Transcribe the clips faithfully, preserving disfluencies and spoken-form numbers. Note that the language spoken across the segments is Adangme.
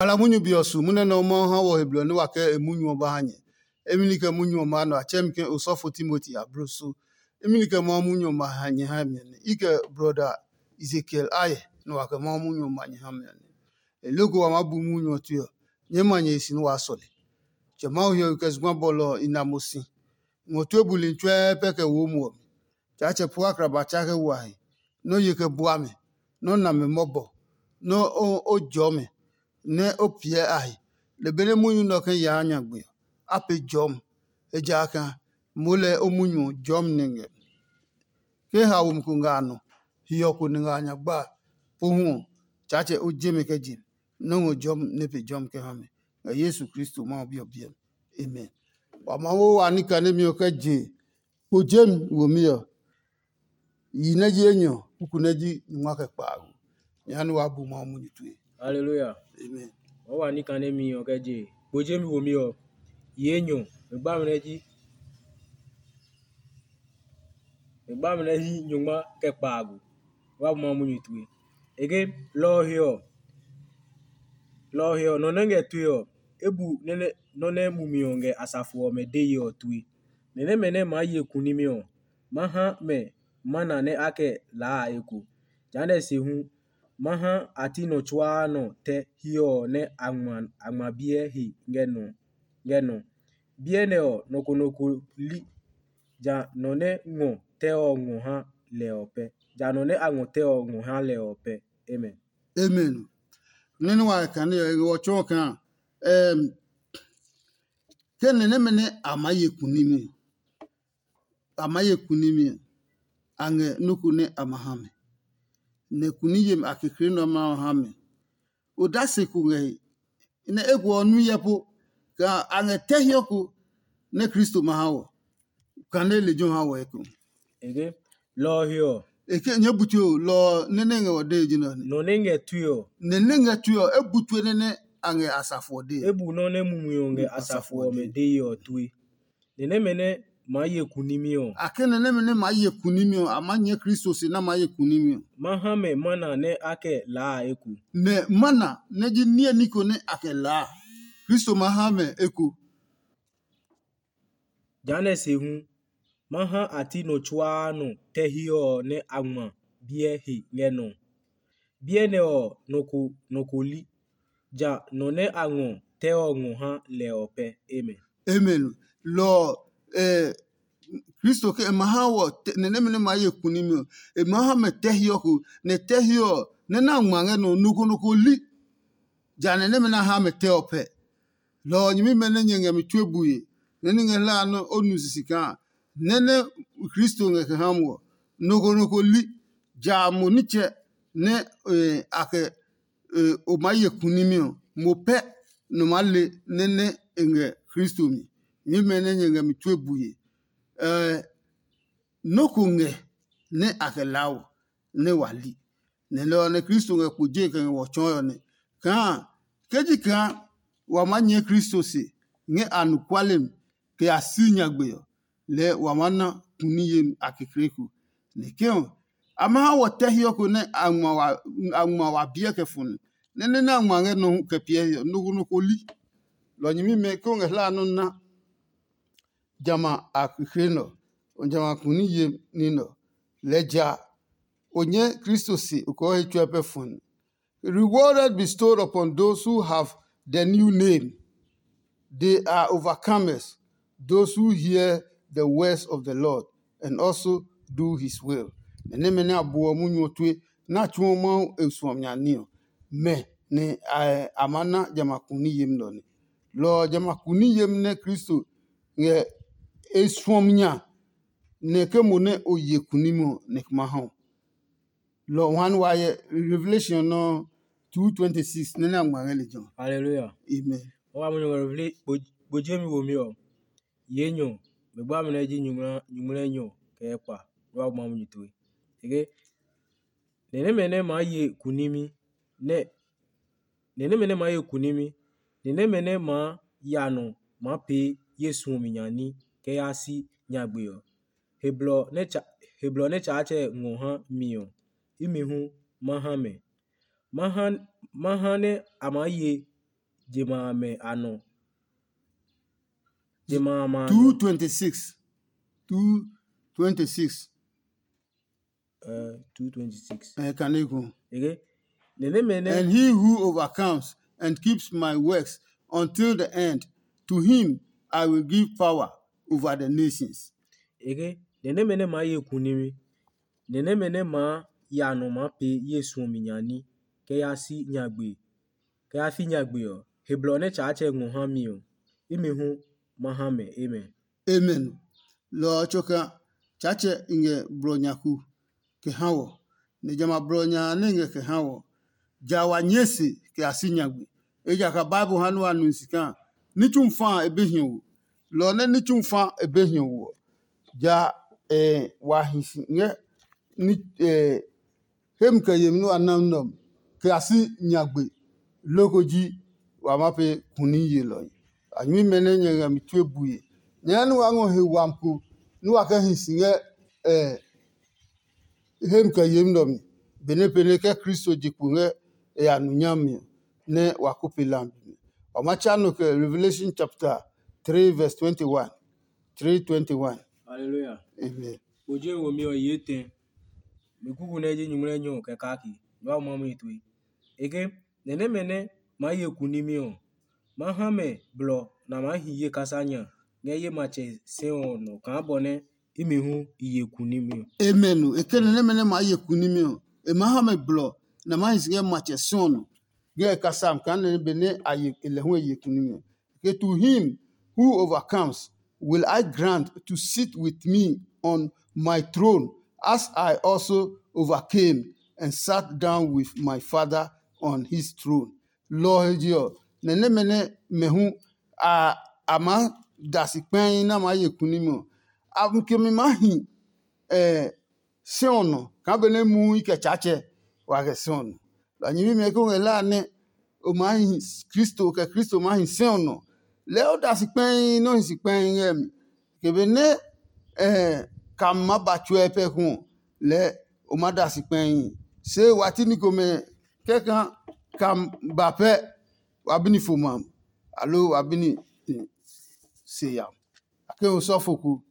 Kpala munyu be ɔ su munɛ nɛ ɔ Mawu ha wɔ he blɔ nɛ wa kɛ e munyu ɔ ba ha nyɛ. Emi ni kɛ munyu ɔ maa nɔ a tsɛ mi ke osɔfo Timoti abloso. Imi ni kɛ Mawu munyu ɔ ma ha nyɛ ha mi ɔ nɛ i kɛ brɔda Ezekiel ayɛ nɛ wa kɛ Mawu munyu ɔ ma nyɛ ha mi ɔ nɛ. E loko wa maa bu munyu ɔ tue ɔ, nyɛɛ ma nyɛ he si nɛ waa sɔle. Tsɛ Mawu hiɔwe kɛ zugba bɔlɔ ɔ i na mo si. Ngɔ tue buli tsuɛɛ pɛ kɛ wo mo ɔ mi. Tsaatsɛ pua akraba tsa kɛ wa he, nɛ o ye kɛ bua mɛ, nɛ o na mɛ mɔbɔ, nɛ o jɔɔ mɛ, nɛ o piɛ a he. Lɛ benɛ munyu nɛ ɔ kɛ yaa nyagbe ɔ, a pee jɔmi, ejakaa moo lɛ o munyu ɔ jɔmi nɛ ngɛ. Ke haomi ko ngɛ a nɔ, hiɔ ko nɛ ngɛ a nyagba a, pohu ɔ, Tsaatsɛ o je mɛ kɛ je mi, nɔ́ ngɔ jɔmi nɛ pe jɔmi kɛ ha mɛ, ngɛ Yesu Kristo Mawu Bi ɔ biɛ mi. Amen. Wa Mawu wa ní kanemi ɔ kɛ je kpo jemi womi ɔ, yi nɛ ji enyɔ, kuku nɛ ji nyungma kɛ kpaago. Nyɛ ha nɛ waa bu Mawu munyu tue. Haleluya. Amen. Wa wa ní kanemi ɔ kɛ je kpo jemi womi ɔ, yi enyɔ, e gba mi nɛ ji e gba mi nɛ ji nyungma kɛ kpaago. Wa bu Mawu munyu tue. Ege lɔ ɔ he ɔ, lɔ ɔ he ɔ, nɔ nɛ ngɛ tue ɔ, e bu nɔ́ nɛ mumi ɔ ngɛ asafo ɔmɛ deye ɔ tue. Nɛ nɛmɛ nɛ maa ye kunimi ɔ, ma ha mɛ mana nɛ a kɛ laa a eko. Jehanɛ se hu, ma ha a ti nɔ tsuaa nɔ tɛ hiɛ ɔ nɛ a ngma biɛ he ngɛ nɔ. Biɛ nɛ ɔ, nɔ ko nɔ ko li, ja nɔ nɛ ngɔ tɛ ɔ ngɔ ha lɛ ɔ pɛ. Ja nɔ nɛ a ngɔ tɛ ɔ ngɔ ha lɛ ɔ pɛ. Amen. Amen. Nene wa kane ɔ, e ngɛ wɔ tsɔɔ kaa, ke nɛ nɛmɛ nɛ a maa ye kunimi, a maa ye kunimi ɔ, a ngɛ nɔ́ ko nɛ a ma ha mɛ. Nɛ kuni yemi a kekle nɛ ɔ ma ha mɛ. Odase ko ngɛ he, nɛ eko ɔ nu hyɛ po, kaa a ngɛ tɛ hiɔ ko nɛ Kristo ma ha wɔ, kane lejɛ ɔ ha wɔ eko. Eke, lɔ ɔ he ɔ, eke nyɛɛ bu tue o, lɔ ɔ nɛ nɛ ngɛ wɔ dee ji nɛ ɔ nɛ. Nɔ nɛ ngɛ tue ɔ, nɛ nɛ ngɛ tue ɔ, e bu tue nɛ nɛ a ngɛ asafo ɔ dee. E bu nɔ nɛ mumi ɔ ngɛ asafo ɔmɛ dee ɔ tue. Nɛ nɛmɛ nɛ maa ye kunimi ɔ, A kɛ nɛ nɛmɛ nɛ maa ye kunimi ɔ, a maa nyɛ Kristo se nɛ a maa ye kunimi ɔ. Ma ha mɛ mana nɛ a kɛ laa a eko. Nɛ mana nɛ ji niɛ niko nɛ a kɛ laa, Kristo ma ha mɛ eko. Jehanɛ se hu, ma ha a ti nɔ tsuaa nɔ tɛ hiɔ ɔ nɛ a ngma biɛ he ngɛ nɔ ɔ. Biɛ nɛ ɔ, nɔ ko nɔ ko li, ja nɔ nɛ a ngɔ tɛ ɔ ngɔ ha lɛ ɔ pɛ. Amen. Amen. Lɔ ɔ, eh, Kristo ke e ma ha wɔ tɛ- nɛ nɛmɛ nɛ ma ye kunimi ɔ, e ma ha mɛ tɛ hiɔ ko, nɛ tɛ hiɔ ɔ, nɛ na ngma ngɛ nɔ ɔ, nɔ ko nɔ ko li. Ja nɛ nɛmɛ na ha mɛ tɛ ɔ pɛ. Lɔ ɔ nyɛmimɛ nɛ nyɛ ngɛ mi tue bue, nɛ ní ngɛ hlaa nɛ o nu sisi kaa, nɛ nɛ Kristo ngɛ kɛ ha mo ɔ, nɔ ko nɔ ko li, ja mo nitsɛ nɛ a kɛ o maa ye kunimi ɔ, mo pɛ nɔ maa le nɛ nɛ e ngɛ Kristo mi. Nyɛmimɛ nɛ nyɛ ngɛ mi tue bue, nɔ́ ko ngɛ nɛ a kɛ laa wɔ nɛ wa li. Nɛ lɔ ɔ nɛ Kristo ngɛ kpo je kɛ ngɛ wɔ tsɔɔe ɔ nɛ, kaa ke ji kaa wa maa nyɛɛ Kristo se ngɛ anɔkuale mi kɛ ya si nyagbe ɔ, lɛɛ wa maa na kuni yemi a kekleku. Nɛ ke ɔ, a ma ha wɔ tɛ hiɔ ko nɛ a ngma wa biɛ kɛ fɔni, nɛ nɛ nɛ a ngma ngɛ nɔ hu kɛ piɛ he ɔ, nɔ ko nɔ ko li. Lɔ nyɛmimɛ ke o ngɛ hlaa nɔ́ na jamɛ a kekle nɛ ɔ, jamɛ a kuni yemi ní nɛ ɔ, lɛɛ ja o nyɛ Kristo se o kɔɔ he tsuɛ pɛ fɔni. Reward bestowed upon those who have the new name. They are overcomers, those who hear the words of the Lord and also do his will. Nɛ nɛmɛ nɛ a buɔ munyu ɔ tue nɛ a tsuɔ Mawu e suɔmi nya ní ɔ, mɛ nɛ a maa na jamɛ a kuni yemi nɛ ɔ nɛ. Lɔ ɔ jamɛ a kuni yemi nɛ Kristo ngɛ e suɔmi nya, nɛ ke mo nɛ o ye kunimi ɔ, nɛ kɛ ma ha o. Lɔ ɔ ha nɛ wa hyɛ Revelation nɔ two twenty six nɛ nɛ a ngma ngɛ lejɛ ɔ. Hallelujah. Amen. Wa mo nyɔ Revelation, bo jemi wo mi ɔ. Ye nyɔ, me gba mi nɛ ji nyuŋmla nyɔ kɛ kpa. Wa ma mu nyito. Ege, nɛ nɛmɛ nɛ maa ye kunimi nɛ nɛ nɛmɛ nɛ maa ye kunimi, nɛ nɛmɛ nɛ maa ya nɔ maa pee ye suɔmi nya ní kɛ yaa si nyagbe ɔ. He blɔ nɛ Tsaatsɛ ngɔ ha mi ɔ, imi hu ma ha mɛ. Ma ha nɛ a maa ye je ma amɛ a nɔ. Je ma a ma a nɔ. Two twenty-six. Two twenty-six. Uh, two twenty-six. Eh, kaneko. Okay. Nene mene. And he who overcomes and keeps my works until the end, to him I will give power over the nations. Ege, nɛ nɛmɛ nɛ maa ye kunimi, nɛ nɛmɛ nɛ maa ya nɔ maa pee ye suɔmi nya ní, kɛ ya si nyagbe, kɛ ya fi nyagbe ɔ, he blɔ nɛ Tsaatsɛ ngɔ ha mi ɔ, imi hu ma ha mɛ. Amen. Amen. Lɔ ɔ tsoka, Tsaatsɛ i ngɛ blɔ nyaku kɛ ha wɔ, nɛ jamɛ a blɔ nya a nɛ ngɛ kɛ ha wɔ, ja wa nyɛɛ se kɛ ya si nyagbe. Ejakaa Bible ha nɛ wa nu si kaa ní tsumu fa a e be hiɔ wo. Lɔ ɔ nɛ ní tsumu fa e be hiɔ wo ɔ, ja wa hi si ngɛ ní hemi kɛ yemi nɛ wa na nɛ ɔ mi, kɛ ya si nyagbe. Loko ji wa ma pee kuni yelɔhi. A nyuimɛ nɛ nyɛ ngɛ mi tue bue. Nyɛɛ nɛ wa ngɔ he wami ko nɛ wa kɛ hi si ngɛ hemi kɛ yemi nɛ ɔ mi, benɛ pɛnɛ kɛ Kristo je kpo ngɛ e ya nu nyami ɔ, nɛ wa ko pe lambi mi. Wa ma tsa nɔ kɛ Revelation chapter three verse twenty-one. Three twenty-one. Hallelujah. Amen. O je wo mi ɔ ye tɛ. Mi kuku nɛ ji nyumu nɛ nyɔ kɛ kaki. Nyɔ ma mu tue. Eke, nɛ nɛmɛ nɛ maa ye kunimi ɔ, ma ha mɛ blɔ nɛ a maa hi ye kasa nya ngɛ ye matsɛ sɛ ɔ nɔ kaa bɔ nɛ imi hu i ye kunimi ɔ. Amen. E ke nɛ nɛmɛ nɛ maa ye kunimi ɔ, e maa ha mɛ blɔ nɛ a maa hi si ngɛ matsɛ sɛ ɔ nɔ ngɛ e kasa mi kaa nɛ be nɛ a ye e lɛ hu e ye kunimi ɔ. Okay, to him who overcomes will I grant to sit with me on my throne, as I also overcame and sat down with my Father on his throne. Lɔ ɔ he je ɔ, nɛ nɛmɛ nɛ mɛ hu a a maa da si kpɛi nɛ a maa ye kunimi ɔ, a kemi maa hi sɛ ɔ nɔ kaa benɛ muu i kɛ Tsaatsɛ wa kɛ sɛ ɔ nɔ. Lɔ nyɛmimɛ ko ngɛ la nɛ o maa hi Kristo, kɛ Kristo maa hi sɛ ɔ nɔ. Lɛɛ o da si kpɛi nɛ o hi si kpɛi ngɛ mi. Ke benɛ kam ma ba tsuɛ pɛ hu ɔ, lɛɛ o ma da si kpɛhi. Se wa ti ni komɛ kɛkan kam ba pɛ, wa bi ni fo mam, aloo wa bi ni se yam. A ke osɔfo ko,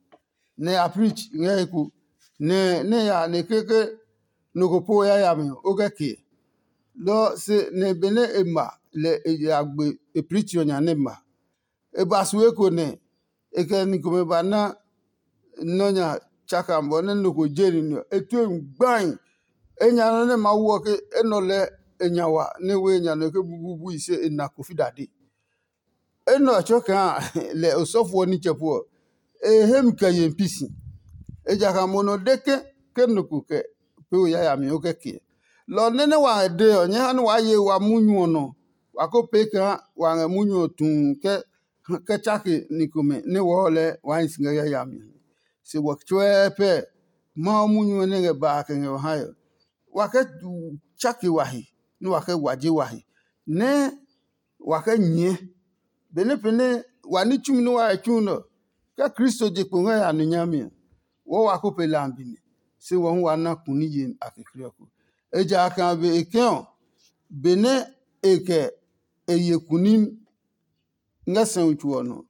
nɛ ya preach ngɛ he ko, nɛ nɛ ya nɛ keke nɔ ko po yayami ɔ, o kɛ ke. Lɔ se nɛ benɛ e ma lɛ e ya gbe e preach ɔ nya nɛ ma. E ba su eko nɛ e kɛ ni komɛ ba na nɔ́ nya tsaka bɔ nɛ nɔ ko je ni nɛ ɔ, e tue ngbai. E nya nɔ nɛ Mawu ɔ ke enɛ ɔ lɛɛ e nya wa nɛ e we nya nɔ ke bububui se e na kofi dade. Enɛ ɔ tsɔɔ kaa lɛ osɔfo ɔ nitsɛ pu ɔ, e he mi kɛ ye pi si. Ejakaa mo nɔ de ke ke nɔ ko kɛ pee o yayami o kɛ ke. Lɔ ɔ nɛ nɛ wa ngɛ dee ɔ, nyɛɛ ha nɛ waa ye wa munyu ɔ nɔ. Wa ko pee kaa wa ngɛ munyu ɔ tuu kɛ kɛ tsake ni komɛ nɛ wɔɔ lɛɛ waa hi si ngɛ yayami ɔ. Se wɔ tsuɛɛ pɛ Mawu munyu ɔ nɛ ngɛ ba a kɛ ngɛ wa hae ɔ. Wa kɛ tsake wa he, nɛ wa kɛ waje wa he, nɛ wa kɛ nyɛɛ. Benɛ pɛnɛ wa ní tsumi nɛ wa he tsu nɛ ɔ, ke Kristo je kpo ngɛ ya nu nyami ɔ, wɔɔ wa ko pe lambi mi, se wɔ hu wa na kuni yemi a kekle ɔ ko. Ejakaa be e kɛ ɔ, benɛ e kɛ e ye kunim ngɛ sɛumi tso ɔ nɔ,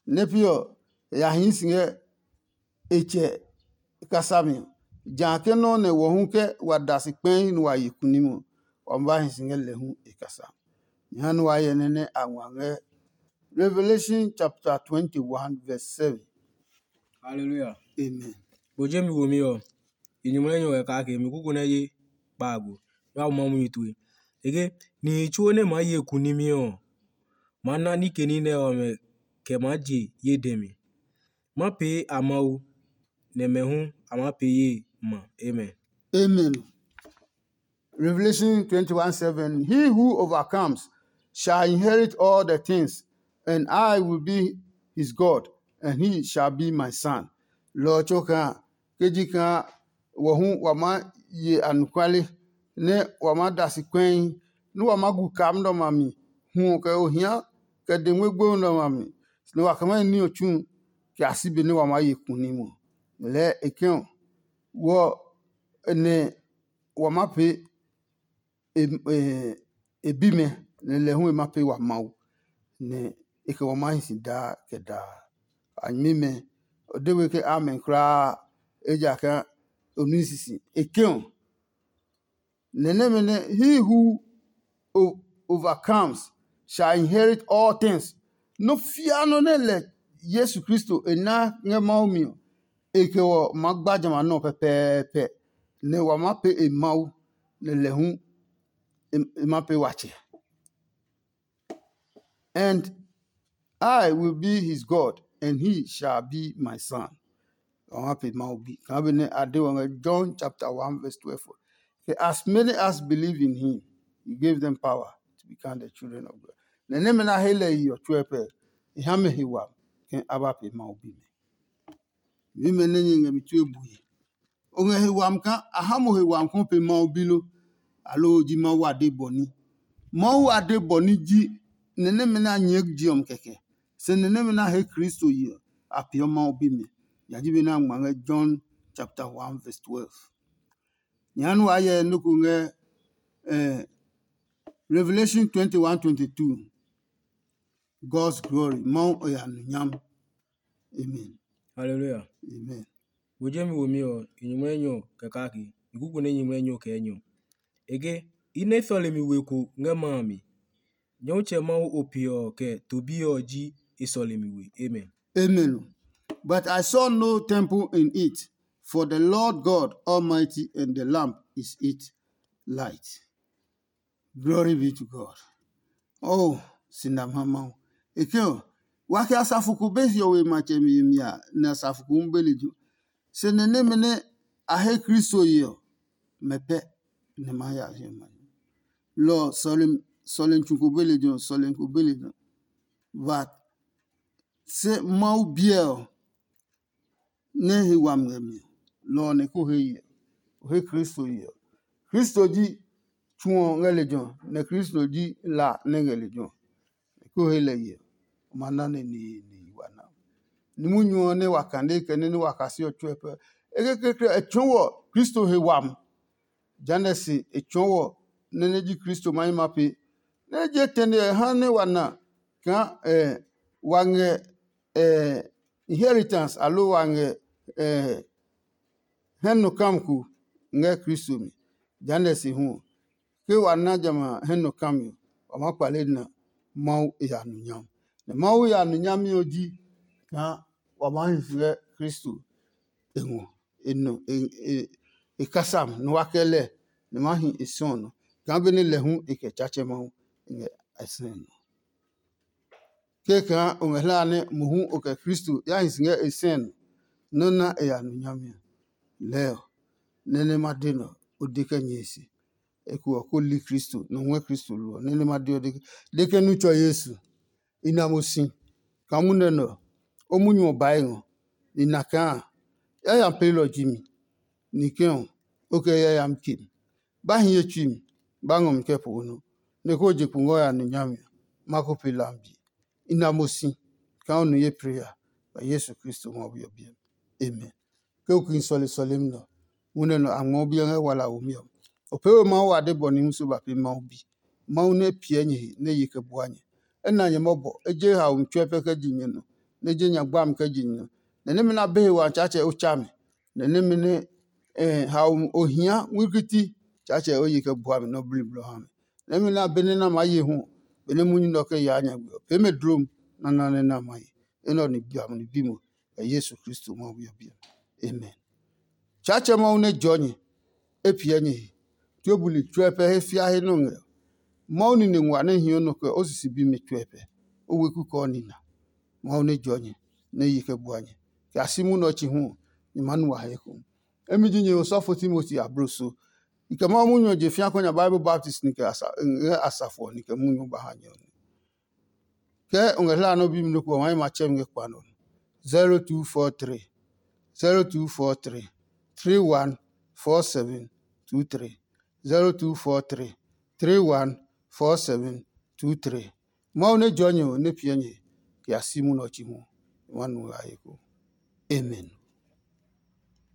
nɛ pi ɔ, e ya hii si ngɛ e tsɛ kasa mi ɔ. Jã ke nɔ́ nɛ wɔ hu ke wa da si kpɛi nɛ wa ye kunim ɔ, wa ma ba hi si ngɛ lɛ hu e kasa. Nyɛ ha nɛ wa hyɛ nɛ nɛ a ngua ngɛ Revelation chapter twenty-one verse seven. Hallelujah. Amen. Bo je mi wo mi ɔ, i nyumu nɛ nyɔ kɛ kake mi kuku nɛ ye kpaago. Nɛ wa ma munyu tue. Ege nihi tsuo nɛ maa ye kunimi ɔ, maa na nike ní nɛ ɔmɛ kɛ maa je ye dɛ mi. Ma pee a Mawu, nɛ mɛ hu a maa pee ye ma. Amen. Amen. Revelation twenty-one seven. He who overcomes shall inherit all the things, and I will be his God, and he shall be my son. Lɔ ɔ tso kaa ke ji kaa wɔ hu wa maa ye anɔkuale, nɛ wa maa da si kpɛi, nɛ wa maa gu kaa nɛ ɔmɛ a mi, hu ɔ kɛ ohia kɛ dengme gbomi nɛ ɔmɛ a mi, nɛ wa kɛ maa ní ɔ tsu kɛ a si be nɛ wa maa ye kuni mɔ. Lɛɛ e kɛ ɔ, wɔ nɛ wa maa pee e bimɛ, nɛ lɛ hu e ma pee wa Mawu. nɛ e kɛ wɔ maa hi si daa kɛ daa. A nyɛmimɛ, o de we ke amen kulaa, ejakaa o nui sisi. E ke ɔ, nɛ nɛmɛ nɛ he who o- overcomes shall inherit all things. Nɔ́ fia nɔ nɛ lɛ Yesu Kristo e na ngɛ Mawu mi ɔ, e kɛ wɔ maa gba jamɛ a nɔ pɛpɛɛpɛ, nɛ wa maa pee e Mawu, nɛ lɛ hu e ma pee watsɛ. And I will be his God, and he shall be my son. Wa maa pee Mawu bi. Kaa benɛ a de wɔ ngɛ John chapter one verse twelve ɔ. Ke, as many as believe in him, he gave them power to become the children of God. Nɛ nɛmɛ nɛ a he lɛ yi ɔ tsuɛ pɛ, e ha mɛ he wami ke a ba pee Mawu bimɛ. Mimɛ nɛ nyɛ ngɛ mi tue bue. O ngɛ he wami kaa a ha mo he wami kaa o pee Mawu bi lo? Aloo o ji Mawu ade bɔ ní? Mawu ade bɔ ní ji nɛ nɛmɛ nɛ a nyɛɛ je ɔ mi kɛkɛ, se nɛ nɛmɛ nɛ a he Kristo yi ɔ, a peeɔ Mawu bimɛ. Nya ji be nɛ a ngma ngɛ John chapter one verse twelve. Nyɛ ha nɛ waa hyɛ nɔ́ ko ngɛ eh, Revelation twenty-one twenty-two. God's glory, Mawu ɔ ya nɔ nyam. Amen. Hallelujah. Amen. Wo jemi womi ɔ, i nyumu enyɔ kɛ kake, i kuku nɛ nyumu enyɔ kɛ enyɔ. Ege, i nɛ sɔlemi we ko ngɛ ma a mi. Nyɔmtsɛ Mawu o pe ɔ kɛ to bi ɔ ji e sɔlemi we. Amen. Amen. But I saw no temple in it, for the Lord God Almighty and the Lamb is its light. Glory be to God. Oh, si nam ha Mawu. E ke ɔ, wa kɛ asafo ko be hiɔwe matsɛmi yemi a, nɛ asafo ko hu be lejɛ ɔ. Se nɛ nɛmɛ nɛ a he Kristo ye ɔ, mɛ pɛ nɛ ma ya hiɔwe ma. Lɔ ɔ, sɔlemi tsu ko be lejɛ ɔ, sɔlemi ko be lejɛ ɔ. But se Mawu biɛ ɔ, nɛ he wami ngɛ mi ɔ, lɔ ɔ nɛ ko he ye ɔ. O he Kristo ye ɔ. Kristo ji tsu ɔ ngɛ lejɛ ɔ, nɛ Kristo ji la nɛ ngɛ lejɛ ɔ. Nɛ ko he lɛ ye ɔ, o ma na nɛ nihi nihi wa na. Ni munyu ɔ nɛ wa kane kɛ nɛ nɛ wa kase ɔ tsuɛ pɛ. E kekleekle ɔ, e tsɔɔ wɔ Kristo he wami. Jehanɛ se e tsɔɔ wɔ nɛ nɛ ji Kristo ma yi ma pee. Nɛ je tɛne ɔ ha nɛ wa na kaa wa ngɛ inheritance aloo wa ngɛ hɛ nɔ kam ko ngɛ Kristo mi. Jehanɛ se hu ɔ, ke wa na jamɛ a hɛ nɔ kam ɔ, wa maa kpale na Mawu e ya nu nyam. Nɛ Mawu ya nu nyami ɔ ji kaa wa maa hi ngɛ Kristo e ngɔ e nɔ e e e kasam nɔ wa kɛ lɛ nɛ ma hi e sɔ nɔ kaa benɛ lɛ hu e kɛ Tsaatsɛ Mawu e ngɛ a sɛ nɔ. Kɛkaa o ngɛ hlaa nɛ mohu o kɛ Kristo ya hi si ngɛ e sɛ nɔ nɔ́ na e ya nu nyami ɔ, lɛɛ ɔ, nɛ nɛ ma de nɛ ɔ, o de kɛ nyɛe se. Eko ɔ ko li Kristo nɔ ngɔɛ Kristo lo ɔ, nɛ nɛ ma de ɔ de ke, de ke nu tsɔ Yesu. I na mo si kaa munɛ nɛ ɔ, o munyu ɔ bae ngɔ. I na kaa yayami peelɔ ji mi, ni kɛ ɔ, o kɛ yayami ke mi. Ba hi ye tsui mi, ba ngɔ mi kɛ po nɔ, nɛ ko je kpo ngɔ ya nu nyami ɔ, ma ko pe lambi. I na mo si kaa o nu ye pre ya, kɛ Yesu Kristo ngɔ we ɔ biɛ mi. Amen. Ke o ki sɔle sɔlemi nɛ ɔ, munɛ nɛ a ngmɛɔ biɛ ngɛ wala womi ɔ. O pee we Mawu ade bɔ ni musu ba pee Mawu bi. Mawu nɛ piɛ nyɛ he nɛ ye kɛ bua nyɛ. E na nyɛ mɔbɔ, e je haomi tsuɛ pɛ kɛ ji nyɛ nɔ, nɛ e je nya gbami kɛ ji nyɛ nɔ. Nɛ nɛmɛ nɛ a be he wa Tsaatsɛ o tsa mi, nɛ nɛmɛ nɛ haomi o hia ngmlɛkiti Tsaatsɛ o ye kɛ bua mi nɔ bliblɔ ha mi. Nɛmɛ nɛ a be nɛ na maa ye hu, benɛ munyu nɛ ɔ kɛ yaa nyagbe ɔ, pee mɛ dlom nana nɛ na ma ye. Enɛ ɔ ni bi mo, kɛ Yesu Kristo Mawu ɔ biɛ. Amen. Tsaatsɛ Mawu nɛ jɔɔ nyɛ, e piɛ nyɛ he. Tue buli tsuɛ pɛ he fia he nɔ ngɛ. Mawu nine nguaa nɛ hiɔ nɔ kɛ o sisi bimi tsuɛ pɛ, o weku kɛ o nina. Mawu nɛ jɔɔ nyɛ, nɛ yi kɛ bua nyɛ, kɛ a si munɛ ɔ chi hu ɔ, nyɛ maa nu wa he ekohu. Emi ji nyɛ osɔfo Timoti abloso. I kɛ Mawu munyu ɔ je fia kɔ nya Bible baptist ni kɛ ngɛ asafo ɔ ni kɛ munyu ba ha nyɛ ɔ. Ke o ngɛ hlaa nɛ o bi mi nɔ́ ko ɔ, wa yi ma tsɛ mi ngɛ kpa nɔ. Zero two four three, zero two four three, three one four seven two three, zero two four three, three one four seven two three. Mawu nɛ jɔɔ nyɛ ɔ nɛ piɛ nyɛ kɛ ya si munɛ ɔ chi hu. Wa nu ngɛ a he ko. Amen.